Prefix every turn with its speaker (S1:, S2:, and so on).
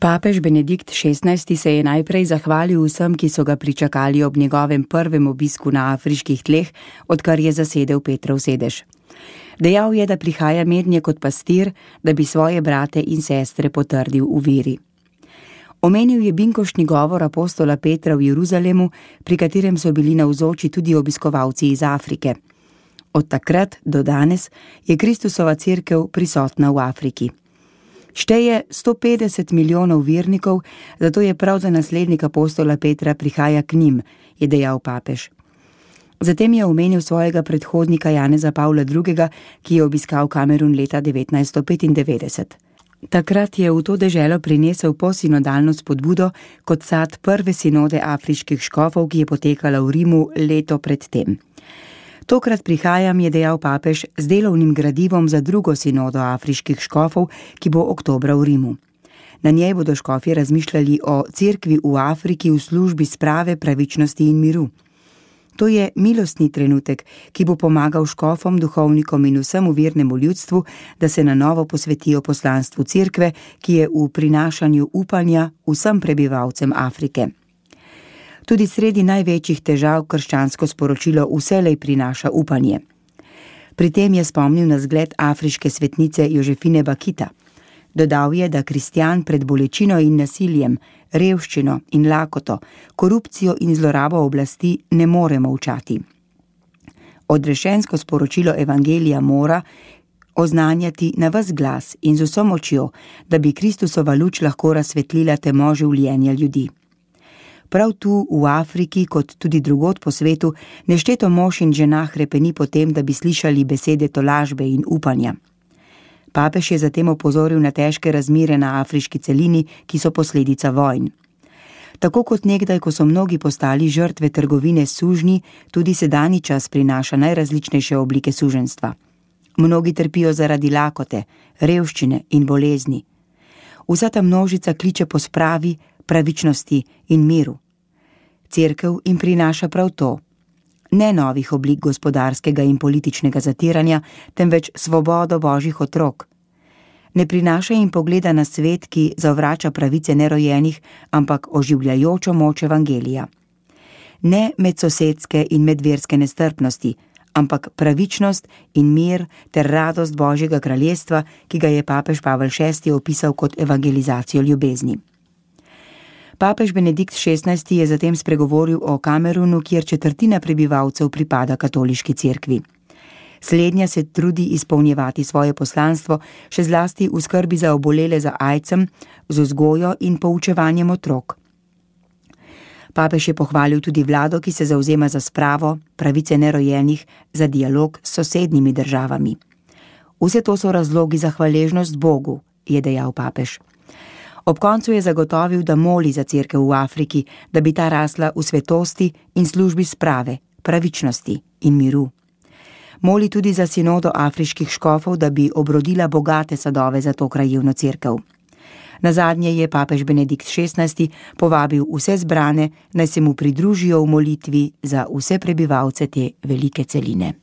S1: Papež Benedikt XVI se je najprej zahvalil vsem, ki so ga pričakali ob njegovem prvem obisku na afriških tleh, odkar je zasedel Petrov sedež. Dejal je, da prihaja mednje kot pastir, da bi svoje brate in sestre potrdil v veri. Omenil je binkoštni govor apostola Petra v Jeruzalemu, pri katerem so bili navzoči tudi obiskovalci iz Afrike. Od takrat do danes je Kristusova cerkev prisotna v Afriki. Šteje 150 milijonov vernikov, zato je prav, da naslednik apostola Petra prihaja k njim, je dejal papež. Zatem je omenil svojega predhodnika Janeza Pavla II., ki je obiskal Kamerun leta 1995. Takrat je v to deželo prinesel posinodalno spodbudo kot sad prve sinode afriških škofov, ki je potekala v Rimu leto pred tem. Tokrat prihajam, je dejal papež, z delovnim gradivom za drugo sinodo afriških škofov, ki bo oktobra v Rimu. Na njej bodo škofje razmišljali o cerkvi v Afriki v službi sprave, pravičnosti in miru. To je milostni trenutek, ki bo pomagal škofom, duhovnikom in vsemu vernemu ljudstvu, da se na novo posvetijo poslanstvu cerkve, ki je v prinašanju upanja vsem prebivalcem Afrike. Tudi sredi največjih težav krščansko sporočilo vselej prinaša upanje. Pri tem je spomnil na zgled afriške svetnice Jožefine Bakita. Dodal je, da kristjan pred bolečino in nasiljem, revščino in lakoto, korupcijo in zlorabo oblasti ne more molčati. Odrešensko sporočilo evangelija mora oznanjati na ves glas in z vso močjo, da bi Kristusova luč lahko razsvetlila temo življenja ljudi. Prav tu v Afriki, kot tudi drugod po svetu, nešteto mož in žena hrepeni po tem, da bi slišali besede tolažbe in upanja. Papež je zatem opozoril na težke razmere na afriški celini, ki so posledica vojn. Tako kot nekdaj, ko so mnogi postali žrtve trgovine s sužnji, tudi sedanji čas prinaša najrazličnejše oblike suženjstva. Mnogi trpijo zaradi lakote, revščine in bolezni. Vsa ta množica kliče po spravi, pravičnosti in miru. Cerkev jim prinaša prav to. Ne novih oblik gospodarskega in političnega zatiranja, temveč svobodo božjih otrok. Ne prinaša jim pogleda na svet, ki zavrača pravice nerojenih, ampak oživljajočo moč evangelija. Ne medsosedske in medverske nestrpnosti, ampak pravičnost in mir ter radost Božjega kraljestva, ki ga je papež Pavel VI opisal kot evangelizacijo ljubezni. Papež Benedikt XVI je zatem spregovoril o Kamerunu, kjer četrtina prebivalcev pripada katoliški cerkvi. Slednja se trudi izpolnjevati svoje poslanstvo, še zlasti v skrbi za obolele za aidsom, z vzgojo in poučevanjem otrok. Papež je pohvalil tudi vlado, ki se zavzema za spravo, pravice nerojenih, za dialog s sosednjimi državami. Vse to so razlogi za hvaležnost Bogu, je dejal papež. Ob koncu je zagotovil, da moli za cerkev v Afriki, da bi ta rasla v svetosti in službi sprave, pravičnosti in miru. Moli tudi za sinodo afriških škofov, da bi obrodila bogate sadove za to krajevno cerkev. Nazadnje je papež Benedikt XVI povabil vse zbrane, naj se mu pridružijo v molitvi za vse prebivalce te velike celine.